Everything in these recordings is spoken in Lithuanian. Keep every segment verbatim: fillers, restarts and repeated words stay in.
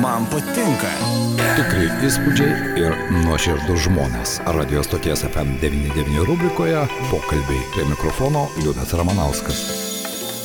Man patinka. Tikri įspūdžiai ir nuoširdus žmonės. Radio stoties F M devyniasdešimt devyni rubrikoje pokalbiai. Prie mikrofono Liudas Ramanauskas.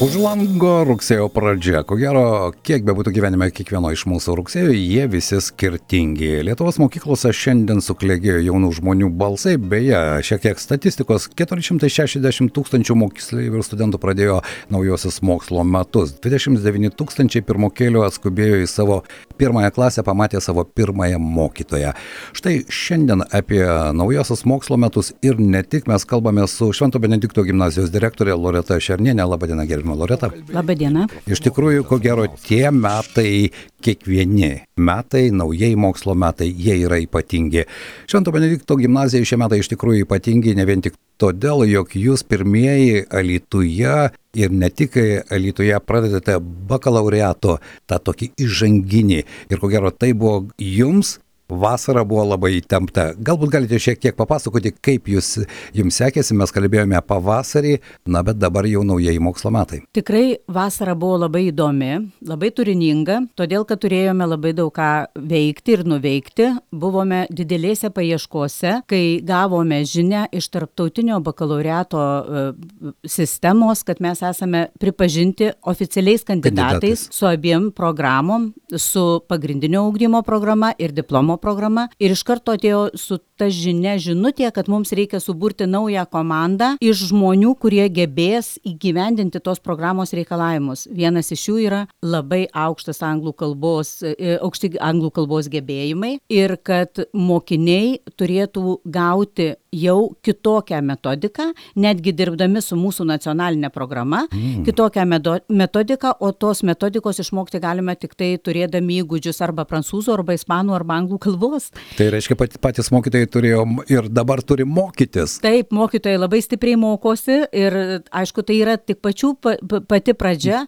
Už lango rugsėjo pradžia. Ko gero, kiek bebūtų gyvenime kiekvieno iš mūsų rugsėjo, jie visi skirtingi. Lietuvos mokyklose šiandien suklėgėjo jaunų žmonių balsai. Beje, šiek tiek statistikos, keturi šimtai šešiasdešimt tūkstančių moksleivių ir studentų pradėjo naujosius mokslo metus. dvidešimt devyni tūkstančiai pirmokėlių atskubėjo į savo pirmąją klasę, pamatė savo pirmąją mokytoją. Štai šiandien apie naujosius mokslo metus ir ne tik mes kalbame su Švento Benedikto gimnazijos direktorė Loreta Šernienė. Labadiena, gerbiama Loreta. Labadiena. Iš tikrųjų, ko gero, tie metai, kiekvieni metai, naujieji mokslo metai, jie yra ypatingi. Švento Benedikto gimnazijai šie metai iš tikrųjų ypatingi ne vien tik todėl, jog jūs pirmieji Alytuje ir ne tik Alytuje pradedate bakalaureato tą tokį įžanginį. Ir ko gero, tai buvo jums. Vasara buvo labai įtempta. Galbūt galite šiek tiek papasakoti, kaip jūs, jums sekėsi, mes kalbėjome pavasarį, na bet dabar jau naujieji mokslo metai. Tikrai vasara buvo labai įdomi, labai turininga, todėl, kad turėjome labai daug ką veikti ir nuveikti. Buvome didelėse paieškose, kai gavome žinią iš tarptautinio bakalaureato sistemos, kad mes esame pripažinti oficialiais kandidatais, kandidatais. Su abiem programom, su pagrindinio ugdymo programa ir diplomo programa, ir iš karto atėjo su ta žinia, žinutė, kad mums reikia suburti naują komandą iš žmonių, kurie gebės įgyvendinti tos programos reikalavimus. Vienas iš jų yra labai aukštas anglų kalbos, aukšti anglų kalbos gebėjimai ir kad mokiniai turėtų gauti jau kitokią metodiką, netgi dirbdami su mūsų nacionalinė programa, mm. kitokią metodiką, o tos metodikos išmokti galime tik tai turėdami įgūdžius arba prancūzų, arba ispanų, arba anglų kalbos. Tai reiškia, patys mokytojai turėjo ir dabar turi mokytis. Taip, mokytojai labai stipriai mokosi ir aišku, tai yra tik pačių pati pradžia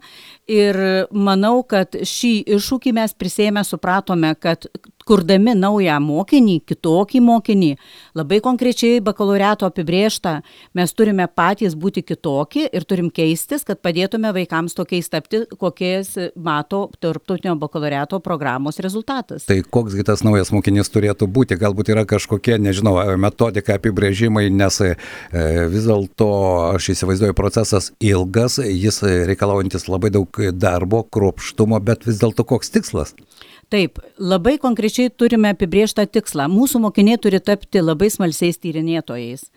ir manau, kad šį iššūkį mes prisėmę supratome, kad kurdami naują mokinį, kitokį mokinį, labai konkrečiai bakalaureato apibrėžtą, mes turime patys būti kitokie ir turim keistis, kad padėtume vaikams tokiais tapti, kokiais mato tarptautinio bakalaureato programos rezultatas. Tai koksgi tas naujas mokinys turėtų būti? Galbūt yra kažkokie, nežinau, metodika, apibrėžimai, nes e, vis dėlto aš įsivaizduoju procesas ilgas, jis reikalaujantis labai daug darbo, kruopštumo, bet vis dėlto koks tikslas? Taip, labai konkrečiai turime apibrėžtą tikslą. Mūsų mokiniai turi tapti labai smalsiais tyrinėtojais.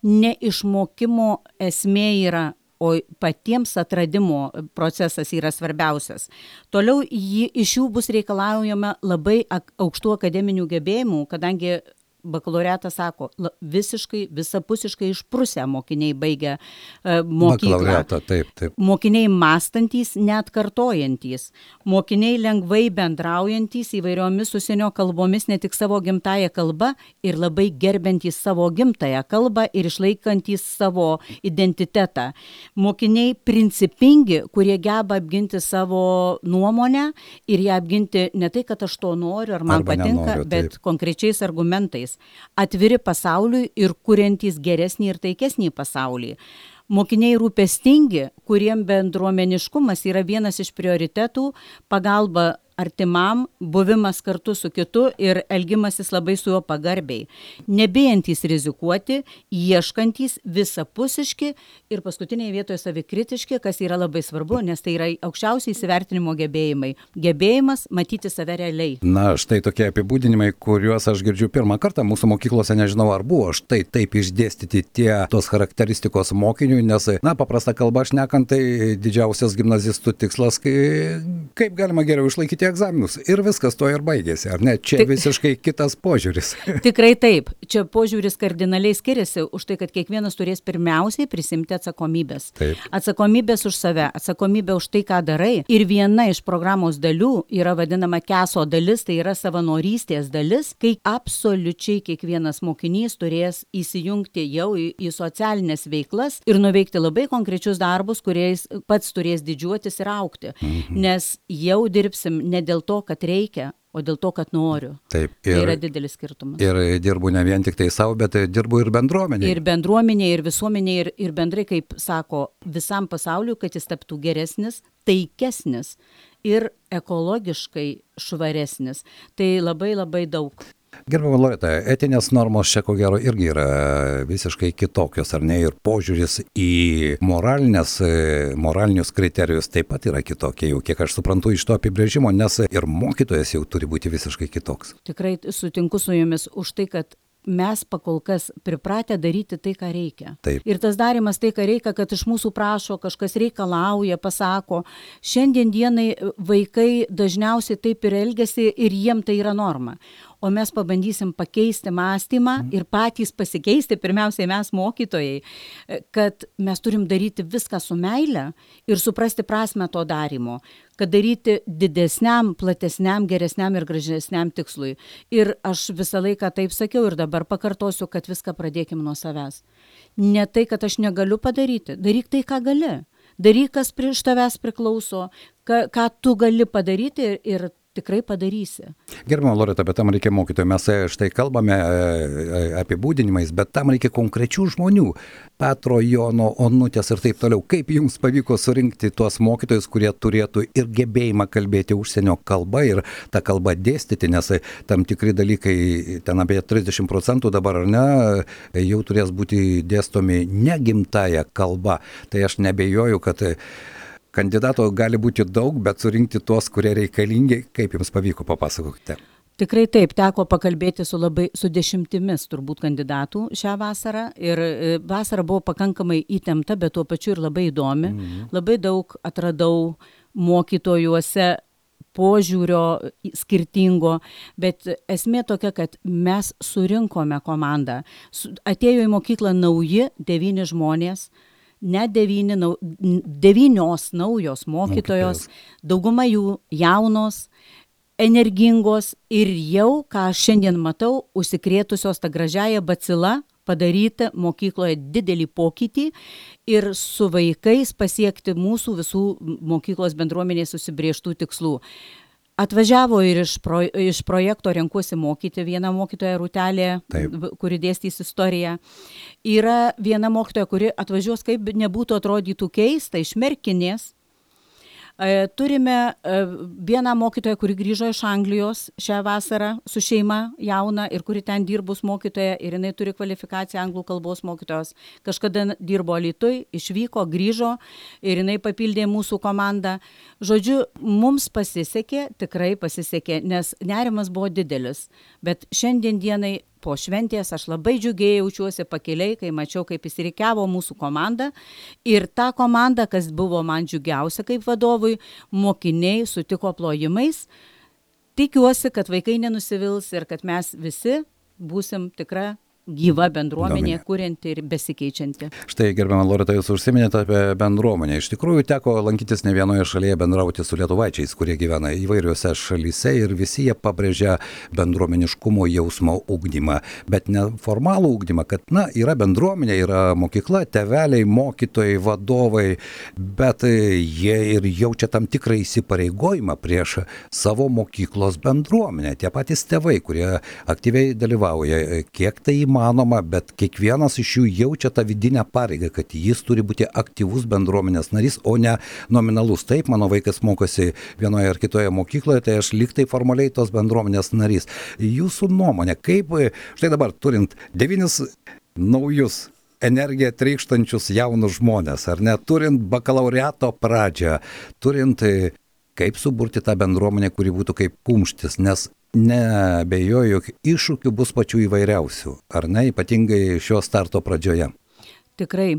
Ne išmokimo esmė yra, o patiems atradimo procesas yra svarbiausias. Toliau jį, iš jų bus reikalaujama labai aukštų akademinių gebėjimų, kadangi bakalaureatas sako, visiškai, visapusiškai išprusę mokiniai baigia uh, mokyklą. Taip, taip. Mokiniai mąstantys, net kartojantys. Mokiniai lengvai bendraujantys įvairiomis užsienio kalbomis, ne tik savo gimtąją kalbą ir labai gerbiantys savo gimtąją kalbą ir išlaikantys savo identitetą. Mokiniai principingi, kurie geba apginti savo nuomonę ir ją apginti ne tai, kad aš to noriu ar man Arba patinka, nenoriu, bet taip. Konkrečiais argumentais. Atviri pasauliui ir kuriantys geresnį ir taikesnį pasaulį. Mokiniai rūpestingi, kuriem bendruomeniškumas yra vienas iš prioritetų, pagalba artimam, buvimas kartu su kitu ir elgimasis labai su juo pagarbiai. Nebijantys rizikuoti, ieškantys, visapusiški ir paskutinėje vietoje savikritiški, kas yra labai svarbu, nes tai yra aukščiausiai įsivertinimo gebėjimai. Gebėjimas matyti save realiai. Na, štai tokie apibūdinimai, kuriuos aš girdžiu pirmą kartą mūsų mokyklose, nežinau ar buvo štai taip išdėstyti tie tos charakteristikos mokiniui, nes, na, paprasta kalba šnekant, tai didžiausias gimnazistų tikslas, kai, kaip galima geriau išlaikyti egzaminus. Ir viskas to ir baigėsi, ar ne? Čia Tik, visiškai kitas požiūris. Tikrai taip. Čia požiūris kardinaliai skiriasi už tai, kad kiekvienas turės pirmiausiai prisimti atsakomybės. Taip. Atsakomybės už save, atsakomybė už tai, ką darai. Ir viena iš programos dalių yra vadinama keso dalis, tai yra savanorystės dalis, kai absoliučiai kiekvienas mokinys turės įsijungti jau į, į socialinės veiklas ir nuveikti labai konkrečius darbus, kuriais pats turės didžiuotis ir augti. Mhm. Nes jau dirbsim ne dėl to, kad reikia, o dėl to, kad noriu. Taip, ir, tai yra didelis skirtumas. Ir dirbu ne vien tik tai savo, bet dirbu ir bendruomenėje. Ir bendruomenėje, ir visuomenėje, ir, ir bendrai, kaip sako, visam pasauliu, kad jis taptų geresnis, taikesnis ir ekologiškai švaresnis. Tai labai labai daug. Gerbiama Loreta, etinės normos čia ko gero irgi yra visiškai kitokios, ar ne? Ir požiūris į moralinės, moralinius kriterijus taip pat yra kitokie, jau kiek aš suprantu iš to apibrėžimo, nes ir mokytojas jau turi būti visiškai kitoks. Tikrai sutinku su jumis už tai, kad mes pakol kas pripratę daryti tai, ką reikia. Taip. Ir tas darimas tai, ką reikia, kad iš mūsų prašo, kažkas reikalauja, pasako. Šiandien dienai vaikai dažniausiai taip ir elgiasi ir jiem tai yra norma. O mes pabandysim pakeisti mąstymą ir patys pasikeisti, pirmiausiai mes mokytojai, kad mes turim daryti viską su meile ir suprasti prasmę to darimo, kad daryti didesniam, platesniam, geresniam ir gražesniam tikslui. Ir aš visą laiką taip sakiau ir dabar pakartosiu, kad viską pradėkim nuo savęs. Ne tai, kad aš negaliu padaryti, daryk tai, ką gali. Daryk, kas prieš tavęs priklauso, ką, ką tu gali padaryti ir, ir tikrai padarysi. Gerbiama Loreta, bet tam reikia mokytojų. Mes štai kalbame apibūdinimais, bet tam reikia konkrečių žmonių. Petro, Jono, Onutės ir taip toliau. Kaip jums pavyko surinkti tuos mokytojus, kurie turėtų ir gebėjimą kalbėti užsienio kalbą ir tą kalbą dėstyti, nes tam tikri dalykai, ten apie trisdešimt procentų dabar, ar ne, jau turės būti dėstomi negimtąją kalbą. Tai aš nebejoju, kad kandidato gali būti daug, bet surinkti tuos, kurie reikalingi. Kaip jums pavyko, papasakokite. Tikrai taip, teko pakalbėti su, labai, su dešimtimis turbūt kandidatų šią vasarą ir vasara buvo pakankamai įtempta, bet tuo pačiu ir labai įdomi. Mhm. Labai daug atradau mokytojuose požiūrio skirtingo, bet esmė tokia, kad mes surinkome komandą. Atėjo į mokyklą nauji devyni žmonės, ne devyni, nau, devynios naujos mokytojos, dauguma jų jaunos, energingos ir jau, ką aš šiandien matau, užsikrėtusios tą gražiąją bacilą, padaryti mokykloje didelį pokytį ir su vaikais pasiekti mūsų visų mokyklos bendruomenės susibrėžtų tikslų. Atvažiavo ir iš, pro, iš projekto Renkuosi mokyti viena mokytoja Rūtelė, Taip. kuri dėstys istoriją. Yra viena mokytoja, kuri atvažiuos, kaip nebūtų atrodytų keista, iš Merkinės. Turime vieną mokytoją, kuri grįžo iš Anglijos šią vasarą su šeima jauna ir kuri ten dirbus mokytoja ir jinai turi kvalifikaciją anglų kalbos mokytojos. Kažkada dirbo Alytuj, išvyko, grįžo ir jinai papildė mūsų komandą. Žodžiu, mums pasisekė, tikrai pasisekė, nes nerimas buvo didelis. Bet šiandien dienai po šventės aš labai džiugiai jaučiuosi pakeliai, kai mačiau, kaip įsirikiavo mūsų komanda. Ir ta komanda, kas buvo man džiugiausia kaip vadovui, mokiniai sutiko plojimais. Tikiuosi, kad vaikai nenusivils ir kad mes visi būsim tikra gyva bendruomenė, kurianti ir besikeičianti. Štai, gerbiama Loreta, jūs užsiminėte apie bendruomenę. Iš tikrųjų, teko lankytis ne vienoje šalyje, bendrauti su lietuvaičiais, kurie gyvena įvairiuose šalyse ir visi jie pabrėžia bendruomeniškumo jausmo ugdymą. Bet ne formalų ugdymą, kad, na, yra bendruomenė, yra mokykla, tėveliai, mokytojai, vadovai, bet jie ir jaučia tam tikrą įsipareigojimą prieš savo mokyklos bendruomenę. Tie patys tėvai, kurie aktyviai dalyvauja, kiek tai įmanoma, bet kiekvienas iš jų jaučia tą vidinę pareigą, kad jis turi būti aktyvus bendruomenės narys, o ne nominalus. Taip, mano vaikas mokosi vienoje ar kitoje mokykloje, tai aš liktai formaliai tos bendruomenės narys. Jūsų nuomonė, kaip, štai dabar turint devynis naujus energiją trykštančius jaunus žmonės, ar ne, turint bakalaureato pradžią, turint kaip suburti tą bendruomenę, kuri būtų kaip kumštis, nes neabejoju, jog iššūkių bus pačių įvairiausių, ar ne, ypatingai šio starto pradžioje. Tikrai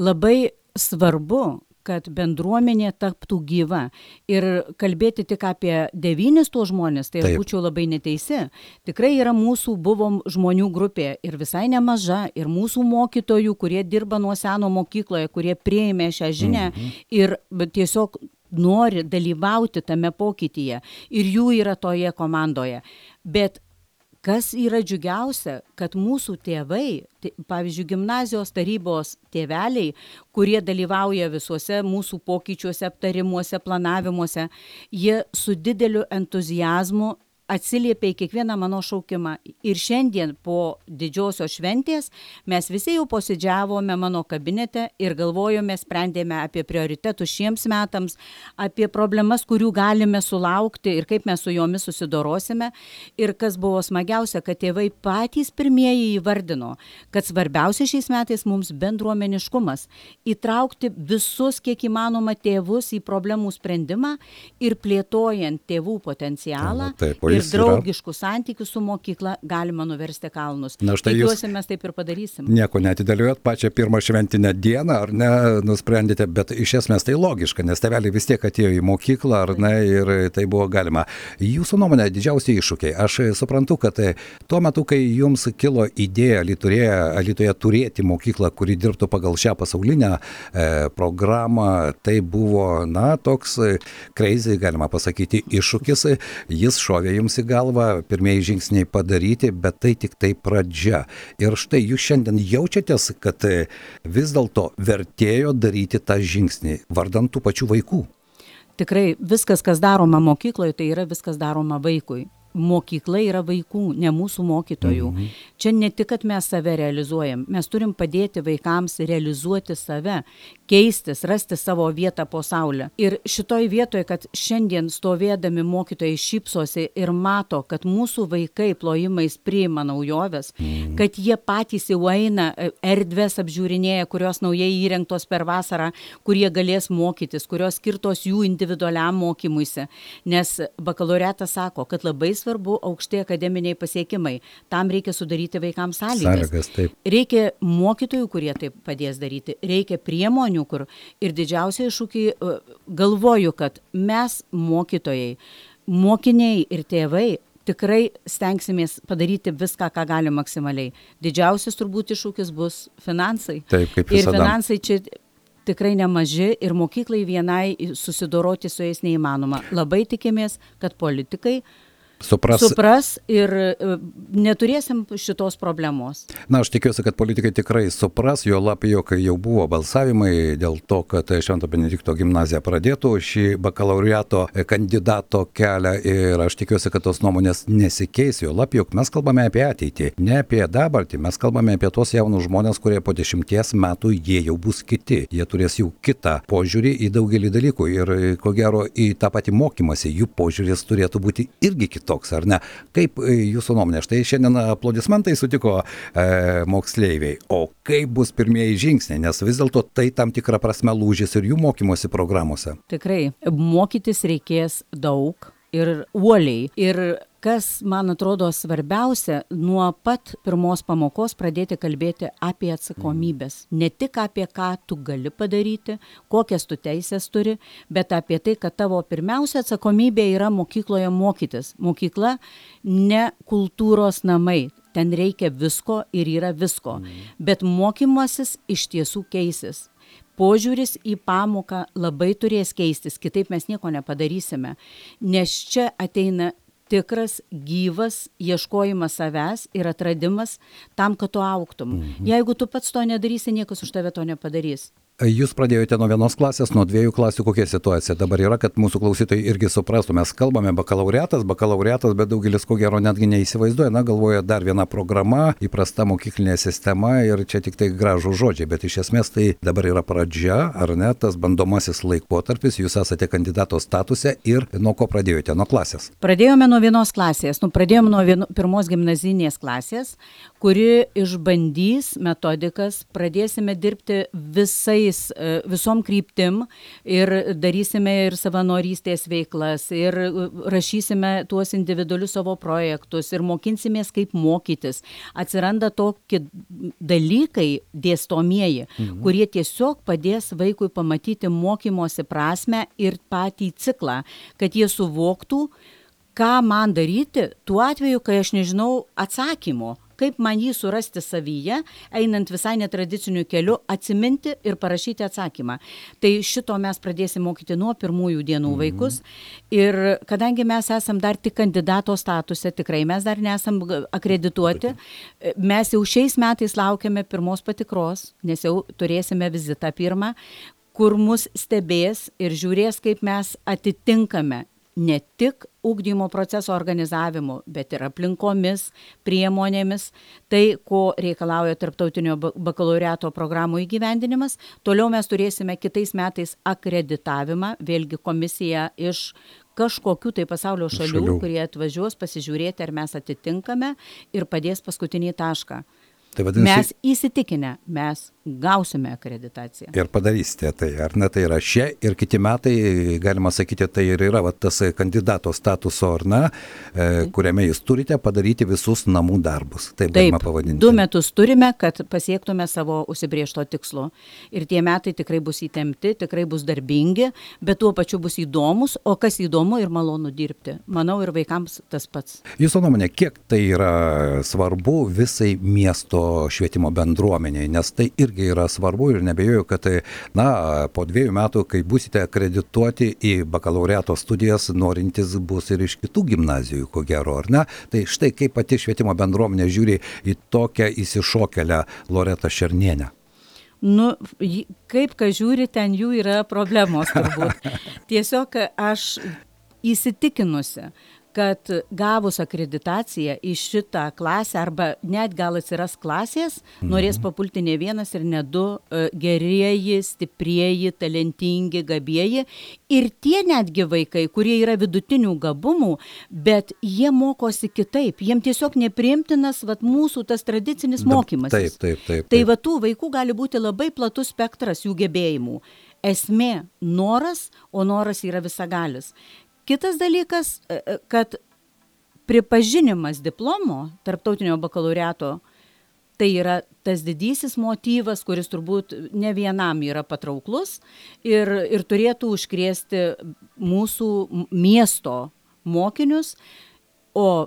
labai svarbu, kad bendruomenė taptų gyva ir kalbėti tik apie devynis tuos žmonės, tai aš būčiau labai neteisi. Tikrai yra mūsų buvom žmonių grupė ir visai nemaža ir mūsų mokytojų, kurie dirba nuo seno mokykloje, kurie priėmė šią žinią mhm. ir tiesiog nori dalyvauti tame pokytyje ir jų yra toje komandoje. Bet kas yra džiugiausia, kad mūsų tėvai, pavyzdžiui, gimnazijos tarybos tėveliai, kurie dalyvauja visuose mūsų pokyčiuose, aptarimuose, planavimuose, jie su dideliu entuziazmu atsiliepė į kiekvieną mano šaukimą. Ir šiandien po didžiosios šventės mes visi jau posėdžiavome mano kabinete ir galvojome, sprendėme apie prioritetus šiems metams, apie problemas, kurių galime sulaukti ir kaip mes su jomis susidorosime. Ir kas buvo smagiausia, kad tėvai patys pirmieji įvardino, kad svarbiausia šiais metais mums bendruomeniškumas. Įtraukti visus, kiek įmanoma, tėvus į problemų sprendimą ir plėtojant tėvų potencialą. Taip, ir draugiškų santykių su mokykla galima nuversti kalnus. Na, štai Tikiuosi, mes taip ir padarysim. Nieko neatidėliojot, pačią pirmą šventinę dieną, ar ne, nusprendėte, bet iš esmės tai logiška, nes tėveliai vis tiek atėjo į mokyklą, ar ne, ir tai buvo galima. Jūsų nuomonė, didžiausi iššūkiai. Aš suprantu, kad tuo metu, kai jums kilo idėja Alytuje, Alytuje turėti mokyklą, kuri dirbtų pagal šią pasaulinę e, programą, tai buvo, na, toks crazy, galima pasakyti, iššūkis. Jis šovė jums į galvą, pirmieji žingsniai padaryti, bet tai tik tai pradžia. Ir štai jūs šiandien jaučiatės, kad vis dėlto vertėjo daryti tą žingsnį vardan tų pačių vaikų. Tikrai viskas, kas daroma mokykloje, tai yra viskas daroma vaikui. Mokykla yra vaikų, ne mūsų mokytojų. Mhm. Čia ne tik, kad mes save realizuojam, mes turim padėti vaikams realizuoti save, keistis, rasti savo vietą po saulę. Ir šitoj vietoje, kad šiandien stovėdami mokytojai šypsosi ir mato, kad mūsų vaikai plojimais priima naujoves, mhm. kad jie patys jau eina erdves apžiūrinėja, kurios naujai įrengtos per vasarą, kurie galės mokytis, kurios skirtos jų individualiam mokymuisi. Nes bakalaureatas sako, kad labai svarbu aukšti akademiniai pasiekimai. Tam reikia sudaryti vaikams sąlygas. Sąlygas, taip. Reikia mokytojų, kurie taip padės daryti. Reikia priemonių, kur ir didžiausia iššūkiai, galvoju, kad mes mokytojai, mokiniai ir tėvai tikrai stengsimės padaryti viską, ką galim maksimaliai. Didžiausias turbūt iššūkis bus finansai. Taip, kaip visada. Ir finansai čia tikrai nemaži ir mokyklai vienai susidoroti su jais neįmanoma. Labai tikimės, kad politikai Supras. supras ir neturėsim šitos problemos. Na, aš tikiuosi, kad politikai tikrai supras, jo lab, jog jau buvo balsavimai dėl to, kad Švento Benedikto gimnazija pradėtų šį bakalaureato kandidato kelią ir aš tikiuosi, kad tos nuomonės nesikeis, jo lab, jog mes kalbame apie ateitį, ne apie dabartį, mes kalbame apie tos jaunus žmonės, kurie po dešimties metų jie jau bus kiti, jie turės jau kitą požiūrį į daugelį dalykų ir ko gero į tą patį mokymąsi jų požiūris turėtų būti irgi kitoks. Toks, ar ne? Kaip jūsų nuomonė? Štai šiandien aplodismentai sutiko e, moksleiviai, o kaip bus pirmieji žingsniai, nes vis dėlto tai tam tikra prasme lūžis ir jų mokymosi programuose. Tikrai, mokytis reikės daug ir uoliai. Ir kas, man atrodo, svarbiausia, nuo pat pirmos pamokos pradėti kalbėti apie atsakomybės. Ne tik apie ką tu gali padaryti, kokias tu teisės turi, bet apie tai, kad tavo pirmiausia atsakomybė yra mokykloje mokytis. Mokykla ne kultūros namai. Ten reikia visko ir yra visko. Bet mokymasis iš tiesų keisis. Požiūris į pamoką labai turės keistis, kitaip mes nieko nepadarysime. Nes čia ateina tikras, gyvas ieškojimas savęs ir atradimas tam, kad tu augtum. Mhm. Jeigu tu pats to nedarysi, niekas už tave to nepadarys. Jūs pradėjote nuo vienos klasės, nuo dviejų klasių, kokia situacija dabar yra, kad mūsų klausytojai irgi suprastų. Mes kalbame bakalaureatas, bakalaureatas, bet daugelis ko gero netgi neįsivaizduoja, na, galvoja dar viena programa, įprasta mokyklinė sistema ir čia tik tai gražų žodžiai, bet iš esmės tai dabar yra pradžia, ar ne, tas bandomasis laikotarpis, jūs esate kandidato statuse ir nuo ko pradėjote, nuo klasės? Pradėjome nuo vienos klasės, nu, pradėjome nuo vieno, pirmos gimnazinės klasės, kuri išbandys metodikas, pradėsime dirbti visais visom kryptim ir darysime ir savanorystės veiklas ir rašysime tuos individualius savo projektus ir mokinsimės kaip mokytis. Atsiranda tokie dalykai dėstomieji, mhm. kurie tiesiog padės vaikui pamatyti mokymosi prasmę ir patį ciklą, kad jie suvoktų, ką man daryti tuo atveju, kai aš nežinau atsakymo. Kaip man jį surasti savyje, einant visai netradiciniu keliu, atsiminti ir parašyti atsakymą. Tai šito mes pradėsim mokyti nuo pirmųjų dienų mm-hmm. vaikus. Ir kadangi mes esam dar tik kandidato statuse, tikrai mes dar nesam akredituoti, mes jau šiais metais laukiame pirmos patikros, nes jau turėsime vizitą pirmą, kur mus stebės ir žiūrės, kaip mes atitinkame ne tik ugdymo proceso organizavimu, bet ir aplinkomis, priemonėmis, tai, ko reikalauja tarptautinio bakalaureato programų įgyvendinimas. Toliau mes turėsime kitais metais akreditavimą, vėlgi komisija iš kažkokių tai pasaulio šalių, Šalių. kurie atvažiuos pasižiūrėti, ar mes atitinkame ir padės paskutinį tašką. Tai vadinasi, Mes įsitikinę, mes gausime akreditaciją. ir padarysite tai, ar ne, tai yra šie ir kiti metai, galima sakyti, tai ir yra va, tas kandidato statuso, ar ne, e, kuriame jūs turite padaryti visus namų darbus, taip, Taip, galima pavadinti. du metus turime, kad pasiektume savo užsibriežto tikslo. Ir tie metai tikrai bus įtempti, tikrai bus darbingi, bet tuo pačiu bus įdomus, o kas įdomu ir malonu dirbti. Manau, ir vaikams tas pats. Jūsų nuomonė, kiek tai yra svarbu visai miesto švietimo bendruomeniai, nes tai irgi yra svarbu ir nebejoju, kad tai, na, po dviejų metų, kai būsite akredituoti į bakalaureato studijas, norintis bus ir iš kitų gimnazijų, ko gero, ar ne? Tai štai kaip pati švietimo bendruomenė žiūri į tokią įsišokelę Loretą Šernienę. Nu, ji- kaip ką žiūri, ten jų yra problemos turbūt. Tiesiog aš įsitikinusi, kad gavus akreditaciją į šitą klasę, arba net gal atsiras klasės, norės papulti ne vienas ir ne du e, gerieji, stiprieji, talentingi, gabieji. Ir tie netgi vaikai, kurie yra vidutinių gabumų, bet jie mokosi kitaip. Jiem tiesiog nepriimtinas vat, mūsų tas tradicinis mokymas. Taip, taip, taip. Tai taip. va tų vaikų gali būti labai platus spektras jų gebėjimų. Esmė noras, o noras yra visagalis. Kitas dalykas, e, e, kad pripažinimas diplomo tarptautinio bakalaureato, tai yra tas didysis motyvas, kuris turbūt ne vienam yra patrauklus ir, ir turėtų užkrėsti mūsų m- miesto mokinius, o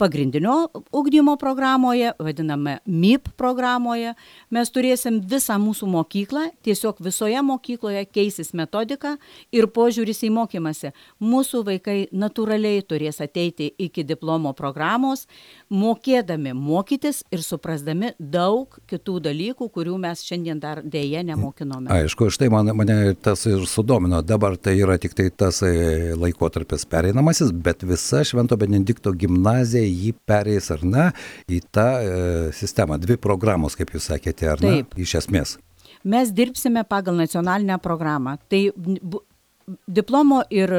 pagrindinio ugdymo programoje, vadiname M I P programoje, mes turėsim visą mūsų mokyklą, tiesiog visoje mokykloje keisis metodika ir požiūris į mokymąsi. Mūsų vaikai natūraliai turės ateiti iki diplomo programos, mokėdami mokytis ir suprasdami daug kitų dalykų, kurių mes šiandien dar dėje nemokinome. Aišku, štai man, mane tas ir sudomino. Dabar tai yra tik tai tas e, laikotarpis pereinamasis, bet visa Švento Benedikto gimnazija jį pereis, ar ne, į tą e, sistemą. Dvi programos, kaip jūs sakėte, ar ne, Taip. iš esmės. Mes dirbsime pagal nacionalinę programą. Tai bu- diplomo ir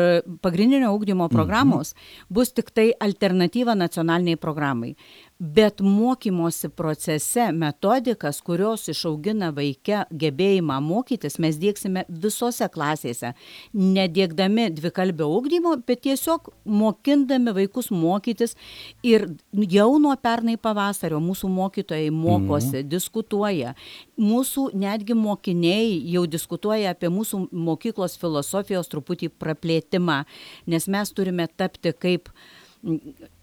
pagrindinio ugdymo programos bus tik tai alternatyva nacionaliniai programai. Bet mokymosi procese metodikas, kurios išaugina vaikę gebėjimą mokytis, mes diegsime visose klasėse. Nediegdami dvikalbio ugdymo, bet tiesiog mokindami vaikus mokytis. Ir jau nuo pernai pavasario mūsų mokytojai mokosi, diskutuoja. Mūsų netgi mokiniai jau diskutuoja apie mūsų mokyklos filosofijos truputį praplėtimą, nes mes turime tapti kaip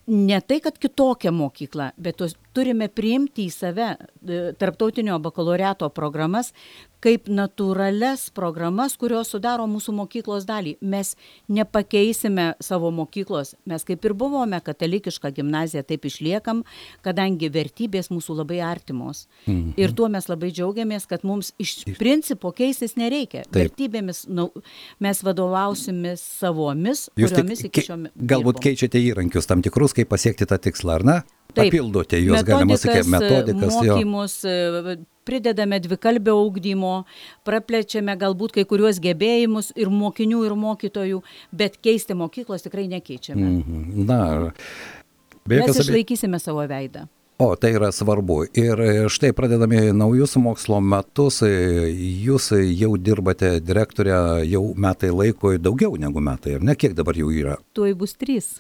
ne tai, kad kitokią mokyklą, bet tos, turime priimti į save e, tarptautinio bakalaureato programas kaip natūrales programas, kurios sudaro mūsų mokyklos dalį. Mes nepakeisime savo mokyklos. Mes kaip ir buvome katalikiška gimnazija, taip išliekam, kadangi vertybės mūsų labai artimos. Mhm. Ir tuo mes labai džiaugiamės, kad mums iš principo keistis nereikia. Taip. Vertybėmis nu, mes vadovausimės savomis, Jūs kuriomis tik iki kei- šio meto. galbūt keičiate įrankius tam tikrus, kaip pasiekti tą tikslą, ar ne? Taip. Papildote juos, galima sakyti, metodikas. Jo. mokymus, e, pridedame dvikalbio ugdymo, praplečiame galbūt kai kuriuos gebėjimus ir mokinių, ir mokytojų, bet keisti mokyklos tikrai nekeičiame. Mhm. Na, be Mes jokios abe- išlaikysime savo veidą. O, tai yra svarbu. Ir e, štai pradedami naujus mokslo metus, e, jūs jau dirbate direktorė jau metai laiko, daugiau negu metai, ar ne? Kiek dabar jau yra? Tuoj bus trys.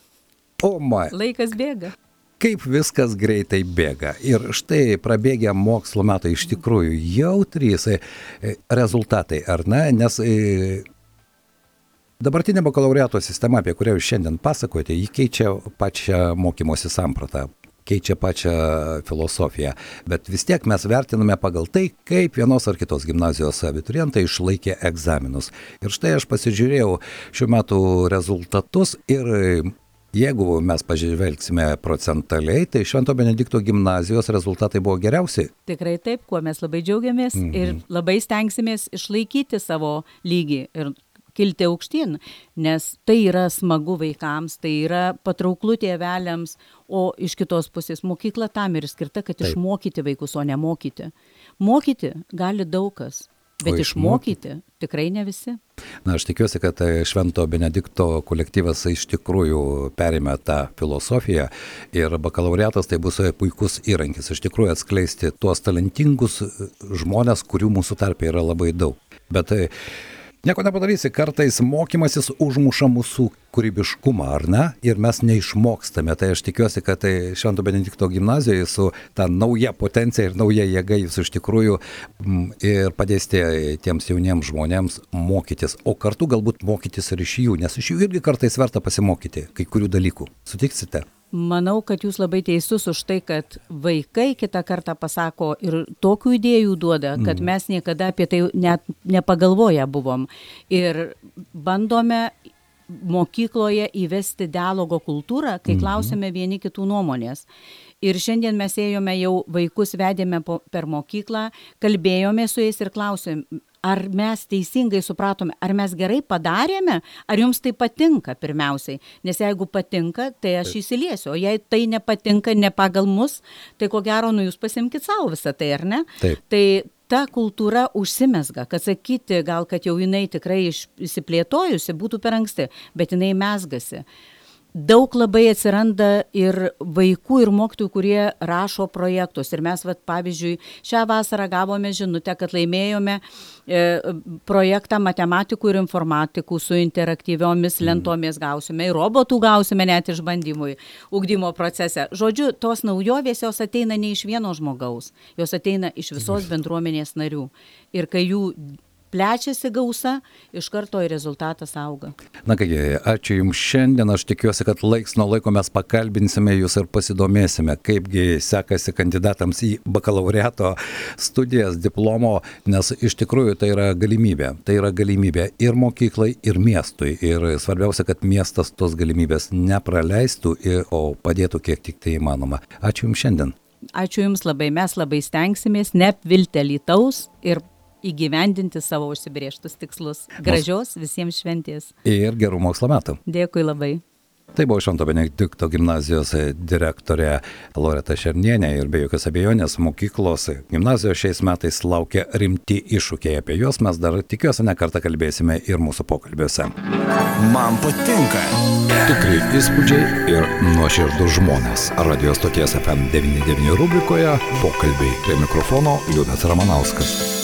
O, ma, Laikas bėga. kaip viskas greitai bėga. Ir štai prabėgę mokslo metai iš tikrųjų jau trys e, e, rezultatai, ar ne? Nes e, dabartinė bakalaureato sistema, apie kurią jūs šiandien pasakojate, ji keičia pačią mokymosi sampratą, keičia pačią filosofiją. Bet vis tiek mes vertiname pagal tai, kaip vienos ar kitos gimnazijos abiturientai išlaikė egzaminus. Ir štai aš pasižiūrėjau šių metų rezultatus ir jeigu mes pažvelgsime procentaliai, tai Švento Benedikto gimnazijos rezultatai buvo geriausi. Tikrai taip, kuo mes labai džiaugiamės Mhm. ir labai stengsimės išlaikyti savo lygį ir kilti aukštyn, nes tai yra smagu vaikams, tai yra patrauklu tėveliams, o iš kitos pusės mokykla tam ir skirta, kad Taip. išmokyti vaikus, o ne mokyti. Mokyti gali daug kas, bet O išmokyti tikrai ne visi. Na, aš tikiuosi, kad Švento Benedikto kolektyvas iš tikrųjų perėmė tą filosofiją ir bakalaureatas tai bus puikus įrankis iš tikrųjų atskleisti tuos talentingus žmonės, kurių mūsų tarpe yra labai daug. Bet nieko nepadarysi, kartais mokymasis užmuša mūsų kūrybiškumą, ar ne? Ir mes neišmokstame. Tai aš tikiuosi, kad tai Švento Benedikto gimnazijoje su ta nauja potencija ir nauja jėga jūs iš tikrųjų m, ir padėsite tiems jauniems žmonėms mokytis, o kartu galbūt mokytis ir iš jų, nes iš jų irgi kartais verta pasimokyti kai kurių dalykų. Sutiksite? Manau, kad jūs labai teisus už tai, kad vaikai kitą kartą pasako ir tokių idėjų duoda, kad mes niekada apie tai net nepagalvoję buvom. Ir bandome mokykloje įvesti dialogo kultūrą, kai klausėme vieni kitų nuomonės. Ir šiandien mes ėjome jau vaikus, vedėme po, per mokyklą, kalbėjome su jais ir klausėme, ar mes teisingai supratome, ar mes gerai padarėme, ar jums tai patinka pirmiausiai. Nes jeigu patinka, tai aš Taip. Įsiliesiu, o jei tai nepatinka, ne pagal mus, tai ko gero, nu jūs pasimkit savo visą tai, ar ne? Taip. Tai ta kultūra užsimezga, kad sakyti, gal kad jau jinai tikrai išsiplėtojusi, būtų per anksti, bet jinai mezgasi. Daug labai atsiranda ir vaikų ir mokytojų, kurie rašo projektus. Ir mes, vat, pavyzdžiui, šią vasarą gavome žinutę, kad laimėjome e, projektą matematikų ir informatikų su interaktyviomis lentomis gausime. Ir robotų gausime net išbandymui, ugdymo procese. Žodžiu, tos naujovės jos ateina ne iš vieno žmogaus, jos ateina iš visos bendruomenės narių. Ir kai jų plečiasi gausa, iš karto ir rezultatas auga. Na kągi, ačiū Jums šiandien, aš tikiuosi, kad laiks nuo laiko mes pakalbinsime Jūs ir pasidomėsime, kaipgi sekasi kandidatams į bakalaureato studijas, diplomo, nes iš tikrųjų tai yra galimybė, tai yra galimybė ir mokyklai, ir miestui. Ir svarbiausia, kad miestas tos galimybės nepraleistų, o padėtų kiek tik tai įmanoma. Ačiū Jums šiandien. Ačiū Jums labai, mes labai stengsimės neapvilti Alytaus ir įgyvendinti savo užsibrėžtus tikslus. Gražios visiems šventės. Ir gerų mokslo metų. Dėkui labai. Tai buvo Švento Benedikto gimnazijos direktorė Loreta Šernienė ir be jokios abejonės mokyklos gimnazijos šiais metais laukia rimti iššūkiai. Apie juos mes dar tikiuosi ne kartą kalbėsime ir mūsų pokalbiuose. Man patinka. Tikri įspūdžiai ir nuoširdus žmonės. Radio stoties F M devyniasdešimt devyni rubrikoje pokalbiai. Prie mikrofono Liudas Ramanauskas.